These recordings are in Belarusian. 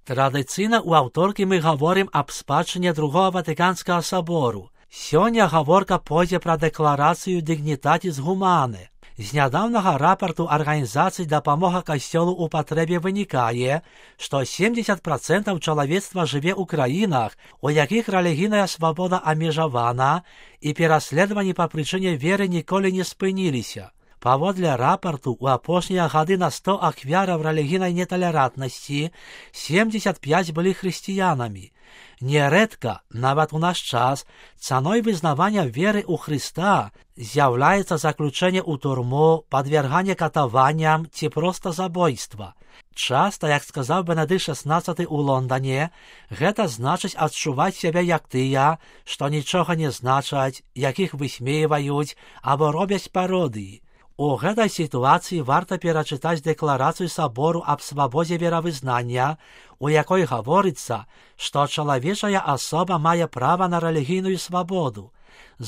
Традыцыйна ў аўторкі мы гаворым аб спадчыне Другого Ватыканскага сабору. Сёння гаворка пойдзе пра дэкларацыю Dignitatis Humanae. З нядаўнага рапарту Арганізацыі дапамога касцёлу ў патрэбе вынікае, што 70% чалавецтва жыве ў краінах, у якіх рэлігійная свабода абмежавана і пераследаванні па прычыне веры ніколі не спыніліся. Паводле рапарту, у апошнія гады на 100 ахвяраў рэлігійнай неталерантнасці 75 былі хрысціянамі. Нярэдка, нават у наш час, цаной вызнавання веры ў Хрыста з'яўляецца заключэнне ў турму, падвярганне катаванням ці проста забойства. Часта, як сказаў Бенедыкт XVI у Лондане, гэта значыць адчуваць сябе як тыя, што нічога не значаць, якіх высмейваюць або робяць пародыі. У гэтай сітуацыі варта перачытаць дэкларацыю сабору аб свабодзе веравызнання, у якой гаворыцца, што чалавечая асоба мае права на рэлігійную свабоду.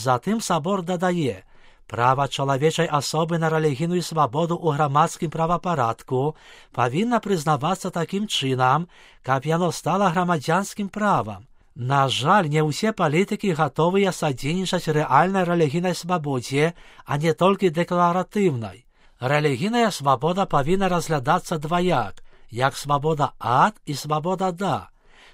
Затым сабор дадае, права чалавечай асобы на рэлігійную свабоду ў грамадскім правапарадку павінна прызнавацца такім чынам, каб яно стала грамадзянскім правам. На жаль, не ўсе палітыкі гатовыя садзейнічаць рэальнай рэлігійнай свабодзе, а не толькі дэкларатыўнай. Рэлігійная свабода павінна разглядацца дваяк, як свабода ад і свабода да.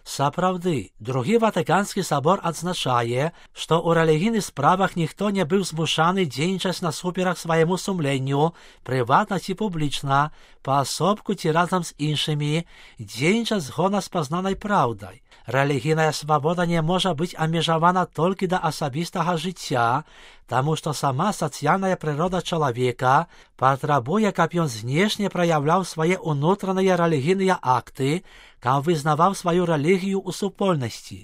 Сапраўды, Другі Ватыканскі сабор адзначае, што ў рэлігійных справах ніхто не быў змушаны дзейнічаць насуперак свайму сумленню, прыватна ці публічна, паасобку ці разам з іншымі, дзейнічаць згодна з пазнанай праўдай. Рэлігійная свабода не можа быць абмежавана толькі да асабістага жыцця, таму што сама сацыяльная прырода чалавека патрабуе, каб ён знешне праяўляў свае ўнутраныя рэлігійныя акты, каб вызнаваў сваю рэлігію ў супольнасці.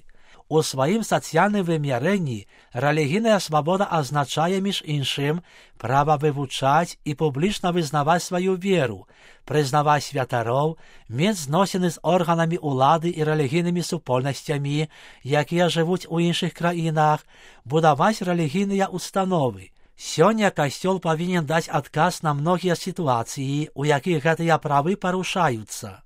У сваім сацыяльным вымярэнні рэлігійная свабода азначае, між іншым, права вывучаць і публічна вызнаваць сваю веру, прызнаваць святароў, мець зносіны з органамі ўлады і рэлігійнымі супольнасцямі, якія жывуць у іншых краінах, будаваць рэлігійныя установы. Сёння касцёл павінен даць адказ на многія сітуацыі, у якіх гэтыя правы парушаюцца.